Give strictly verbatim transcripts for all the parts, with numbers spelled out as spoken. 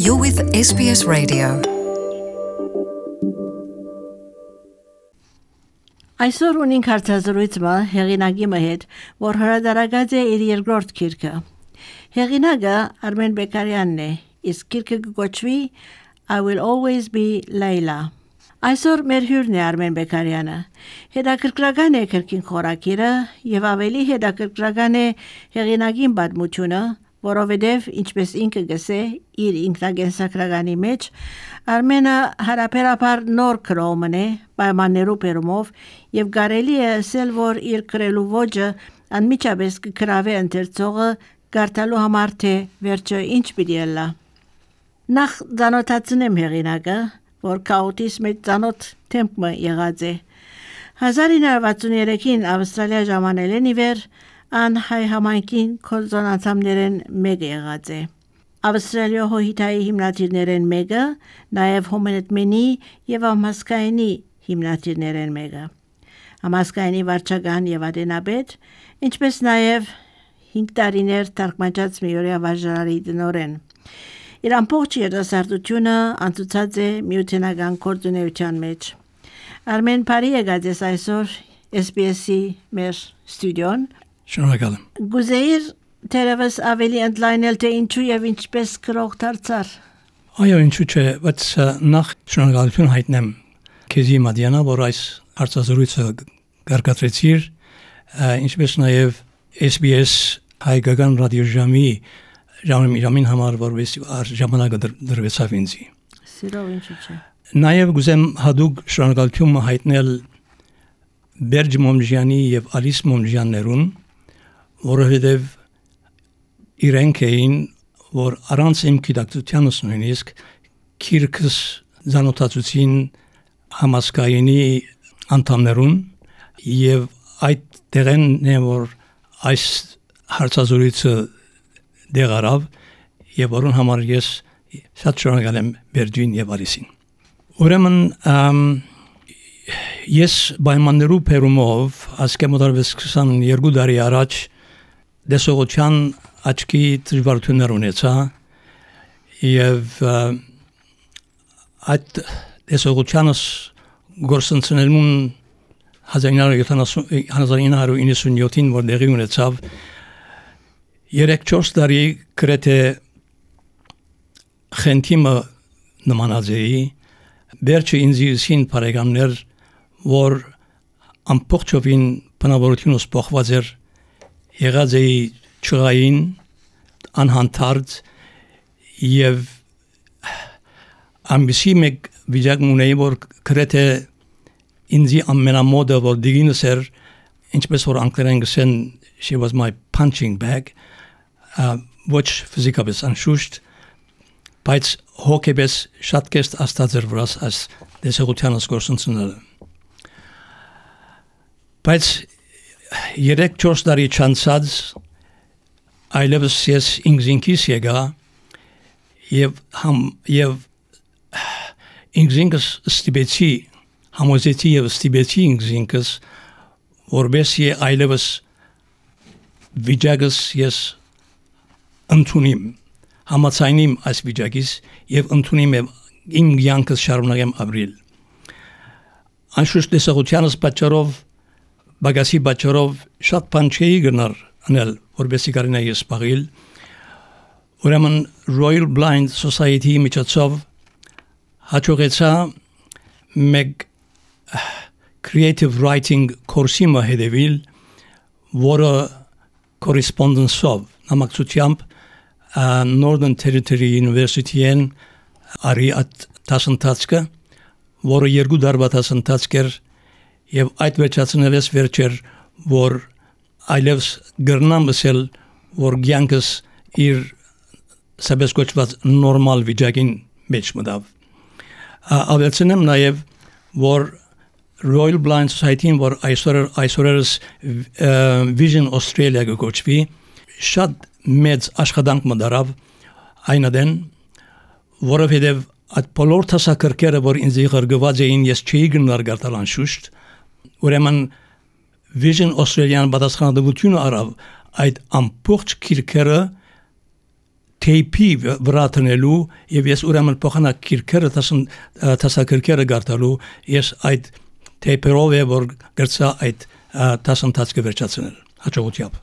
You're with S B S Radio. Այսօր ունենք հարցազրույցը հեղինակի հետ, որ հրադարագած է իր երկրորդ գիրքը։ Հեղինակը Արմեն Բեկարյանն է, իսկ գիրքը կոչվի I Will Always Be Layla։ Այսօր մեր հյուրն է Արմեն Բեկարյանը։ Հետաքրքրական է քրքին խորակիրը եւ ավելի հետաքրքրական է հեղինակին պատմությունը, որովհետև ինչպես ինքը գսե իր ինքնագենսագրականի մեջ Արմենը հարաբերաբար նոր քրոմն է պայմաններու բերումով եւ կարելի է ասել որ իր քրելու ոճը անմիջապես կգրավի ընթերցողը գարտալու համար թե վերջը ինչ պիտի լա նախ դանոթացնեմ հեղինակը որ քաոտիզմի ծանոթ թեմպը եղած է հազար ինը վաթսուներեքին Ավստրալիա ժամանել են իվեր An հայ համայնքին կոլզոնացամներեն մեկը եղած է։ Ավստրալիա հոհիտայի հիմնադիրներեն մեկը, նաև հոմենետմենի և ամասկայնի հիմնադիրներեն մեկը։ Ամասկայնի վարչական և ադենաբեդ, ինչպես նաև հինգ տարիներ թարգմանած միորյա վարժարարի տնօրեն։ Իր ամբողջ երիտասարդությունը անցուցած է միութենական գործունեության մեջ։ Արմեն բարի եկած ես այսօր S B S-ի մեր ստուդիոն Շնորհակալ եմ։ Գուզեիր թերևս ավելի ընդլայնել թե ինչու եւ ինչպես գրող դարձար։ Այո, ինչու՞ չէ, բայց նախ շնորհակալություն հայտնեմ քեզի Մադիանա, որ այս հարցազրույցը կարգադրեցիր, ինչպես նաև S B S հայկական ռադիոժամի ժամին համար, որովհետեւ ժամանակը դրվեցավ ինձի։ Սիրով ինչու՞ չէ։ Նաև գուզեմ հadoop շնորհակալություն հայտնել Բերջ Մոմժյանի եւ Ալիս Մոմժյաններուն որովհետև իրենք էին, որ առանց իմ գիտակցությանս նույնիսկ քիրքս զանոթացուցին համասկայինի անդամներուն եւ այդ տեղեն է որ այս հարցազրույցը դեղարավ եւ որոն համար ես շատ շնորհակալ եմ Բերջին եւ Արիսին։ Ուրեմն ես պայմաններու բերումով ասկեմոդարվես քսաներկու տարի առաջ դեսողության աչքի դժվարություններ ունեցա եւ այդ դեսողությանս գործընկերներուն հազար ինը հարյուր իննսունյոթին որ դեղի ունեցավ երեք-չորս տարի գրեթե խենթիմը նմանածեի վերջը ինձին բարեկամներ որ ամբողջովին բնավորությունս փոխված էր եղած էի ճղային անհանդարտ եւ ամբիսի մեկ վիճակ ունեի որ գրեթե ինձի ամենամոդը որ դիգինս էր ինչպես որ անգլերեն գսեն she was my punching bag ոչ ֆիզիկապես անշուշտ բայց հոգեպես շատ կեստ աստած էր վրաս այս դեսողությանս գործընկերները բայց երեք-չորս տարի չանցած այլևս ես ինքզինքիս եկա եւ համ եւ ինքզինքս ստիպեցի համոզեցի եւ ստիպեցի ինքզինքս որբեսի այլևս վիճակս ես ընդունիմ համացայնիմ այս վիճակից եւ ընդունիմ իմ կյանքս շարունակեմ ապրել անշուշտ դեսողությանս պատճառով Բագասի բաճարով շատ բան չէի գնար անել, որպեսզի կարողանայի սպառել։ Ուրեմն Royal Blind Society միջոցով հաջողեցա մեկ creative writing կուրսի մահդեվիլ, որը correspondence-ով նամակցությամբ Northern Territory University-ին արի at տասնտացկը, որը երկու դարվա տասնտացկ էր Եվ այդ վերջացնելես վերջեր, որ այլևս գրնամ ասել, որ կյանքս իր սաբես կոչված նորմալ վիճակին մեջ մտավ։ Ավելցնեմ նաև, որ Royal Blind Society-ին, որ այսօրերս Vision Australia կոչվի, շատ մեծ աշխատանք մտարավ այն adեն, որովհետև այդ բոլոր տասակրկերը, որ ինձ ղրգված էին, ես չի գնար գարտալ անշուշտ, Ուրեմն Vision Australia-ն պատասխանատվությունը առավ այդ ամբողջ քիրքերը թեյփի վրա տնելու եւ ես ուրեմն փոխանակ քիրքերը տասակիրքերը գարտալու ես այդ թեյփերով է որ գրծա այդ տասընթացը վերջացնել հաջողությամբ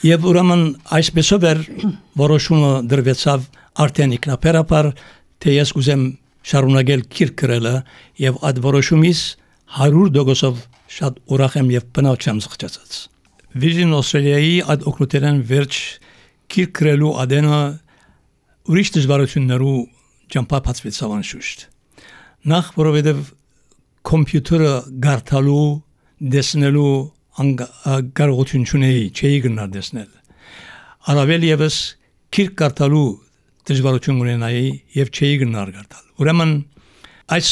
եւ ուրեմն այսպեսով էր որոշումը դրվեցավ արդեն ինքնաբերաբար թե ես կուզեմ շարունակել քիրքրելը եւ այդ որոշումից հարյուր տոկոսով շատ ուրախ եմ եւ բնավ չեմ զղջացած Vision Australia-ի այդ օգնության վերջ քիրքրելու ադենը ուրիշ դժվարություններու ճամփապացվեցավ անշուշտ նախ որովհետեւ կոմպյուտերը գարտալու դեսնելու կարողություն չունեի չէի գնալ դեսնել առավել եւս քիրք գարտալու դժվարություն ունենայի եւ չէի գնալ գարտալ ուրեմն այս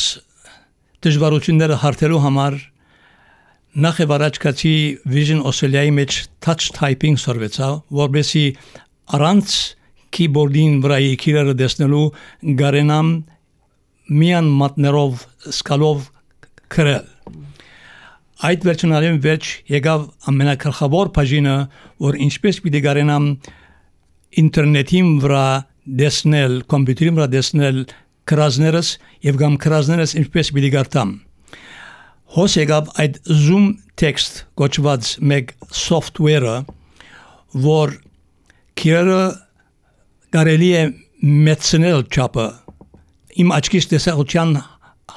դժվարությունները հարթելու համար նախ եւ առաջ կացի Vision Australia-ի մեջ touch typing սորվեցա որբեսի առանց keyboard-ին վրայի քիրերը դեսնելու գարենամ միան մատներով սկալով քրել այդ վերջնալին վերջ եկավ ամենակրխավոր բաժինը որ ինչպես պիտի գարենամ ինտերնետին վրա դեսնել կոմպյուտերին վրա դեսնել քրազներս եւ կամ քրազներս ինչպես պիտի գարտամ հոս եկավ այդ Zoom text կոչված մեկ software-ը որ քիրերը կարելի է մեծնել չափը իմ աչքից տեսողության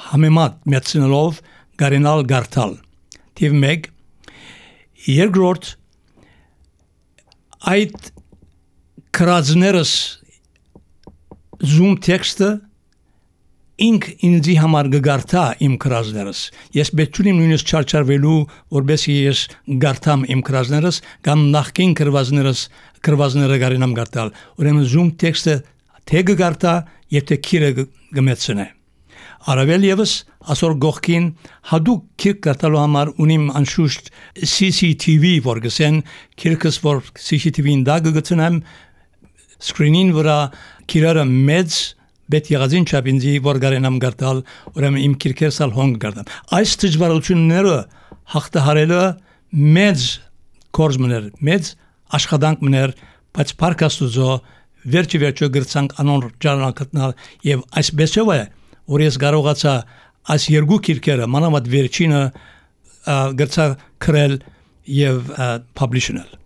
համեմատ մեծնելով գարենալ գարտալ թիվ մեկ երկրորդ այդ քրազներս Zoom text-ը ինք ինձի համար գարտա իմ քրազներս ես պետք չունիմ նույնիսկ չարչարվելու որբեսի ես գարտամ իմ քրազներս կամ նախքին քրվազներս քրվազները գարենամ գարտալ ուրեմն Zoom text-ը թե գարտա եւ թե քիրը գմեցնե առավել եւս ասոր գողքին հadoop քիրք գարտալու համար ունիմ անշուշտ C C T V որ գսեն քիրքս որ C C T V-ին դա գտնեմ screen-ին վրա քիրերը մեծ Bet եղածին չափինձի որ գարենամ գարտալ ուրեմն իմ քիրքերսալ հոնգ գարտամ այս դժվարությունները հաղթահարելը մեծ կորզմներ մեծ աշխատանք մներ բայց փառքաստուծո վերջի վերջո գրցանք անոր ճանաչել եւ այսպեսով է որ ես կարողացա այս երկու քիրքերը մանավանդ վերջինը գրցա քրել եւ publish-նել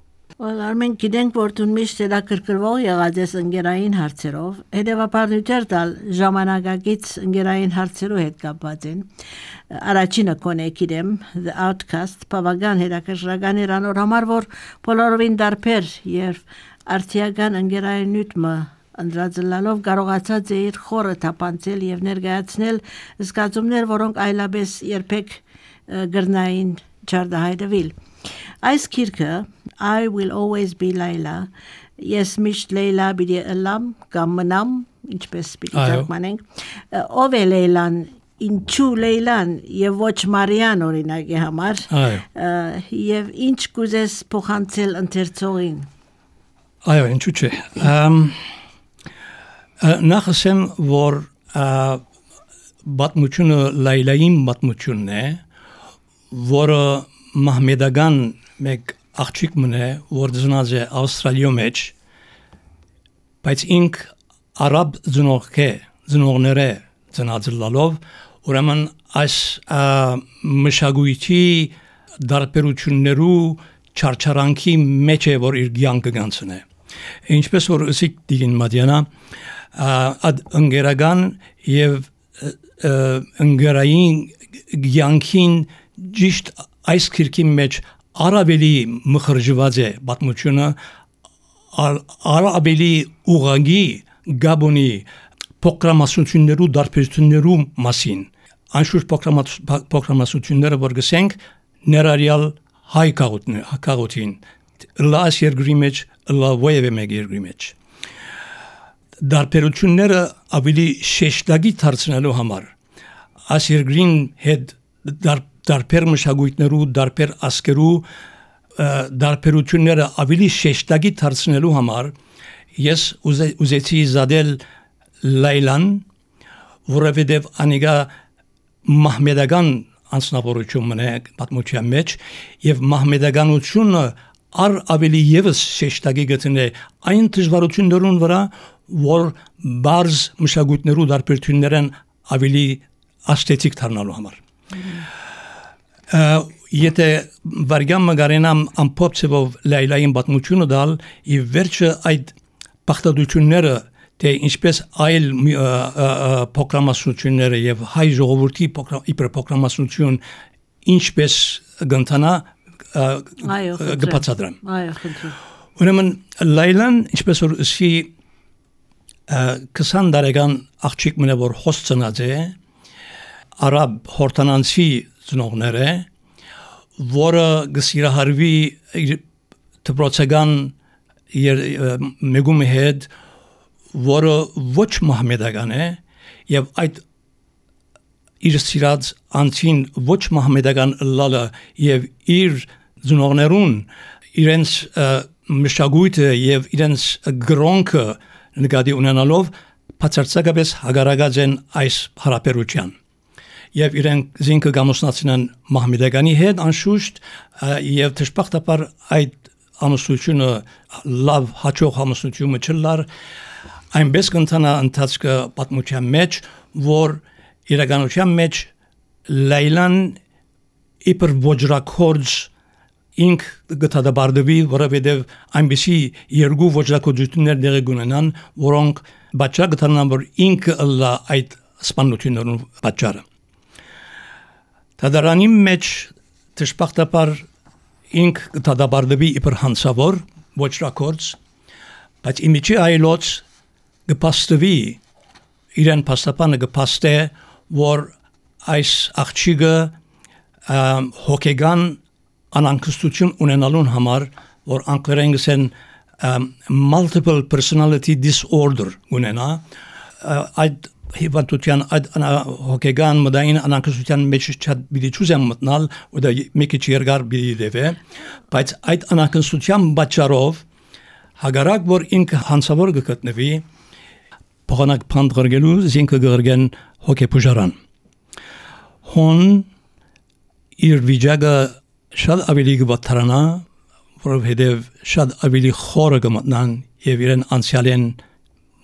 Well, Armen գիտենք որ դու միշտ հետաքրքրվող եղած ես ընկերային հարցերով, հետևաբար նույնիսկ տալ ժամանակակից ընկերային հարցերով հետ կապված են։ Առաջինը կոնե գիտեմ The Outcast, բավական հետաքրքրական էր անոր համար որ բոլորովին դարբեր եւ արդիական ընկերային նյութը անդրադառնալով կարողացած է իր խորը թափանցել եւ ներկայացնել զգացումներ, որոնք այլապես երբեք գրնային չարդահայտվել։ Այս քիրքը I will always be Layla yes միշտ Լեյլա բիդի ըլամ կամ մնամ ինչպես պիտի ճակմանենք ով է Լեյլան ինչու Լեյլան եւ ոչ Մարիան օրինակի համար եւ ինչ կուզես փոխանցել ընթերցողին այո ինչու՞ չէ նախ ասեմ որ բացմությունը Լեյլային բացմությունն է որը մահմեդական մեկ աղջիկ մնե որ ծնած է Ավստրալիո մեջ բայց ինք արաբ ծնող է ծնողները ծնած լալով ուրեմն այս մշակույթի դարբերություններու չարչարանքի մեջ է որ իր կյանքը գանցնե ինչպես որ ըսիկ դիգին Մադիանա ադ ընկերական եւ ընկերային կյանքին ճիշտ այս քիրքի մեջ արաբելի մխրժված է պատմությունը արաբելի ուղագի գաբոնի պրոգրամացություններու դարբերություններու մասին անշուշտ պրոգրամացությունները որ գսենք ներառյալ հայ քաղաքին լաս երկրի մեջ լավոյը մեկ երկրի մեջ դարբերությունները ավելի շեշտագի դարձնելու համար այս երկրին հետ դարբեր մշակույթներու դարբեր ասկերու դարբերությունները ավելի շեշտագի դարձնելու համար ես ուզեցի զադել Լեյլան որովհետև անիգա մահմեդական անձնավորություն մնա պատմության մեջ եւ մահմեդականությունը առ ավելի եւս շեշտակի գտնե այն դժվարություններուն վրա, որ բարձ մշակույթներու դարբերություններն ավելի աստետիկ դառնալու համար։ Եթե վարգամ մգարենամ ամփոփ ծավով Լայլային պատմությունը դալ, ի վերջը այդ բախտadությունները թե ինչպես այլ փոքրամասնությունները եւ հայ ժողովրդի իբրպոքրամասնություն ինչպես գտնանա գբացադրեմ։ Այո, խնդրեմ։ Ուրեմն Լայլան ինչպես որ սի քսան տարեկան աղջիկ մնա որ հոսցնած է արաբ հորտանանցի ծնողները որը գսիրահարվի դպրոցական մեգումի հետ որը ոչ մահմեդական է եւ այդ իր սիրած անցին ոչ մահմեդական լալը եւ իր ծնողներուն իրենց մշակույթը եւ իրենց գրոնքը նկատի ունենալով բացարձակապես հագարակած են այս հարաբերության եւ իրենք զինքը գամուսնացնեն մահմեդականի հետ անշուշտ եւ դժբախտաբար այդ ամուսնությունը լավ հաջող ամուսնությունը չլար այնպես կընթանա ընթացքը պատմության մեջ որ իրականության մեջ Լայլան իբր ոճրակորձ ինք գտադաբարդվի որովհետև այնպիսի երկու ոճրակորձություններ դեղի գունենան որոնք բաճա գտանան որ ինքը լա այդ սպանություններուն բաճարը Տադարանի մեջ դժբախտաբար ինք գտադաբարդվի իբր հանցավոր ոճրակորձ բայց իմիջի այլոց գպաստվի իրեն փաստապանը գպաստե որ այս աղջիկը հոգեգան անանկստություն ունենալուն համար որ անգլերեն գսեն multiple personality disorder ունենա այդ հիվանդության այդ հոգեգան մտային անանկստության մեջ շատ բիդի ճուզեմ մտնալ ու դա մի քիչ երկար բիդի դեպե բայց այդ անանկստության պատճառով հագարակ որ ինքը հանցավոր գտնվի փոխանակ փանդղրգելու զինքը գրգեն հոգեբուժարան հոն իր վիճակը շատ ավելի գվաթրանա որովհետև շատ ավելի խորը գմտնան եւ իրեն անցյալեն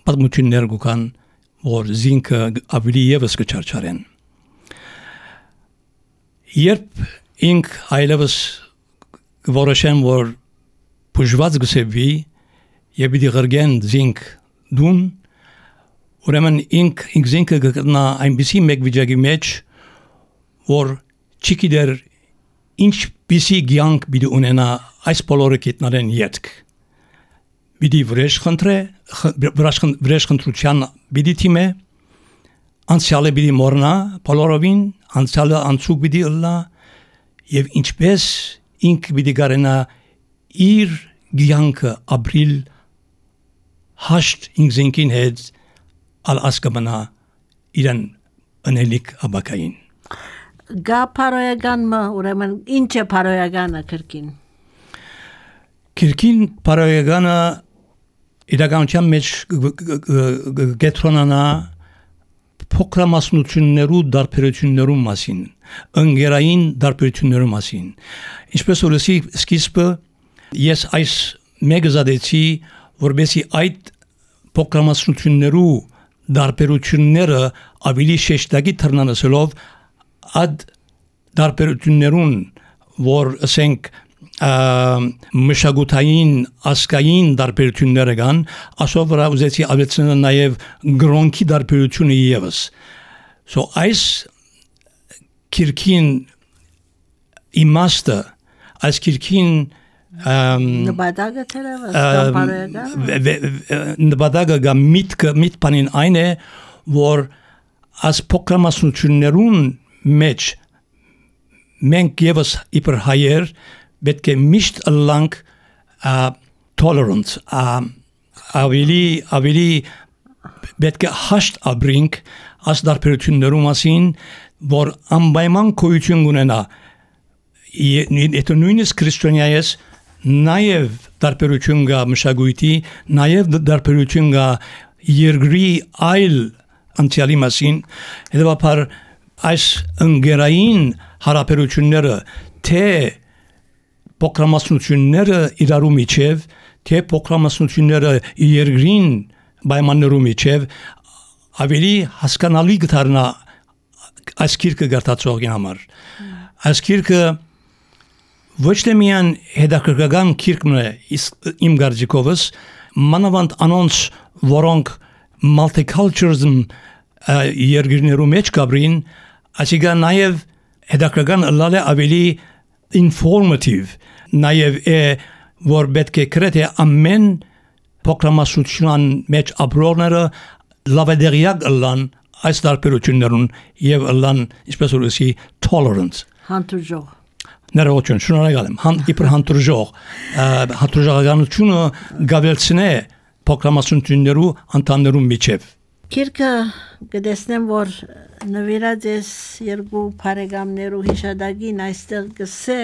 պատմություններ գուքան որ զինքը ավելի եւս կչարչարեն երբ ինք այլևս որոշեն որ բուժված գսեվի եւ դի գրգեն զինք դուն ուրեմն ինք ինք զինքը գտնա այնպիսի մեկ վիճակի մեջ որ չգիտեր ինչպիսի գյանք բիդի ունենա այս բոլորը գիտնալեն յետք Բիդի վրեժ խնդրե, վրեժ խնդրության բիդի թիմե, անցյալը բիդի մորնա, բոլորովին, անցյալը անցուկ բիդի ըլլա, և ինչպես ինք բիդի գարենա իր գյանքը ապրիլ հաշտ ինքզինքին հետ ալ ասկամնա իրան ընելիք աբակային։ Գա պարոյական մը, ուրեմն ինչ է պարոյականը կրկին։ Կրկին պարոյականը իրականության մեջ գետրոնանա փոքրամասնություններու դարբերություններու մասին, ընկերային դարբերություններու մասին։ Ինչպես որ լսի սկիզբը ես այս մեկը զադեցի, որբեսի այդ փոքրամասնություններու դարբերությունները ավելի շեշտակի թռնանսելով այդ դարբերություններուն, որ ասենք մշակութային ասկային դարբերությունները կան, ասով վրա ուզեցի ավելցնել նաև գրոնքի դարբերությունը ևս։ So այս քիրքին իմաստը, այս քիրքին նպատակը թերևս նպատակը գա միտքը միտքանին այն է, որ այս փոքրամասնություններուն մեջ մենք ևս իբր հայեր պետք է միշտ ըլլանք tolerant, ավելի ավելի պետք է հաշտ ապրենք այս դարբերություններու մասին, որ անպայման գոյություն ունենա։ Եթե նույնիսկ քրիստոնյայես նաև դարբերություն կա մշակույթի, նաև դարբերություն կա երկրի այլ անցյալի մասին, հետևաբար այս ընկերային հարաբերությունները թե փոքրամասնությունները իրարու միջև, թե փոքրամասնությունները երկրին պայմաններու միջև ավելի հասկանալի կդառնա այս գիրքը գարտացողին համար։ Այս գիրքը ոչ թե միայն հետաքրքրական գիրքն է իմ կարծիքովս, մանավանդ անոնց, որոնք multiculturalism երկրներու մեջ կաբրին, այսինքն նաև հետաքրքրական ըլլալ է ավելի informative, նաև է, որ պետք է գրեթե ամեն փոքրամասնության մեջ ապրողները լավադեղյակ ըլլան այս տարբերություններուն եւ ըլլան, ինչպես որ ասի, tolerant, Հանդուրժող։ ներողություն, շնորհակալ եմ, հան իբր հանդուրժող, հանդուրժողականությունը գավելցնե փոքրամասնություններու անդամներու միջև։ Գիրքը կտեսնեմ, որ նվիրած ես երկու բարեկամներու հիշադակին այստեղ գսե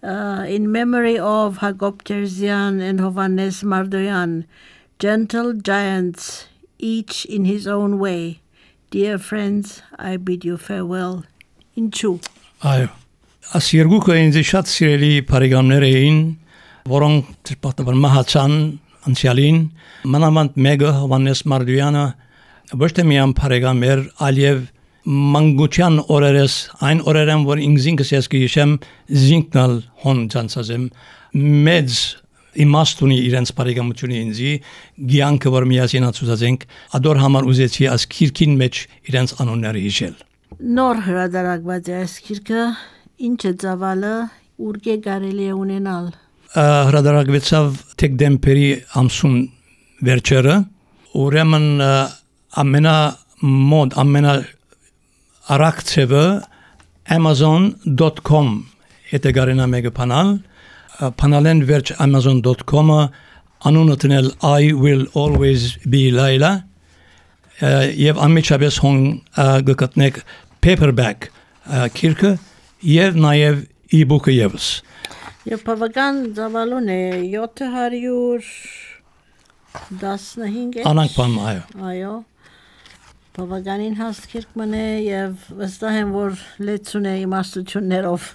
Uh, in memory of Hagop Terzian and Hovannes Mardoyan, gentle giants, each in his own way. Dear friends, I bid you farewell. Ինչու։ Այո, այս երկուքը ինձ շատ սիրելի բարեկամներ էին, որոնք դժբախտաբար մահացան անցյալին, մանավանդ մեկը Հովանես Մարդոյանը ոչ թե միայն բարեկամ էր, այլև մանկության օրերս, այն օրերեն, որ ինքս ես գիշեմ, զինքնալ հոն ճանցազեմ, մեծ իմաստունի իրենց բարեկամությունը ինձի, գյանքը, որ միասին ացուցածենք, ադոր համար ուզեցի այս գիրքին մեջ իրենց անունները հիշել։ Նոր հրատարակված է այս գիրքը, ինչ է ծավալը, ուրգե կարելի է ունենալ։ Հրատարակվեցավ դեկտեմբերի ամսուն վերջերը, ուրեմն ամենա մոդ, ամենա Արաքցևը amazon dot com հետը գարենա մեկը պանալ, պանալեն վերջ amazon dot com-ը անունը տնել I will always be Laila և անմիջապես հոն գկտնեք paperback գիրքը և նաև e-book-ը ևս։ Եվ բավական ծավալուն է յոթ հարյուր տասնհինգ Անանք բան, այո։ Այո։ Բավականին հաստ գիրք մնե և վստահ եմ, որ լեցուն է իմաստություններով։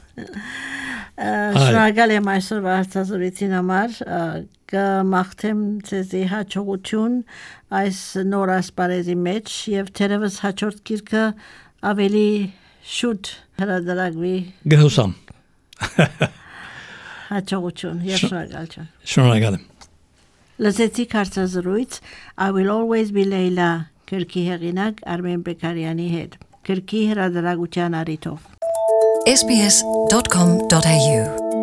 Շնորհակալ եմ այսօրվա հարցազրույցին համար, կմաղթեմ ձեզի հաջողություն այս նոր ասպարեզի մեջ և թերևս հաջորդ գիրքը ավելի շուտ հրատարակվի։ Գհուսամ։ Հաջողություն և շնորհակալություն։ Շնորհակալ եմ։ Լսեցիք հարցազրույց I will always be Laila Գրքի հեղինակ Արմեն Բեկարյանի հետ, գրքի հրատարակության առիթով։ S B S dot com dot A U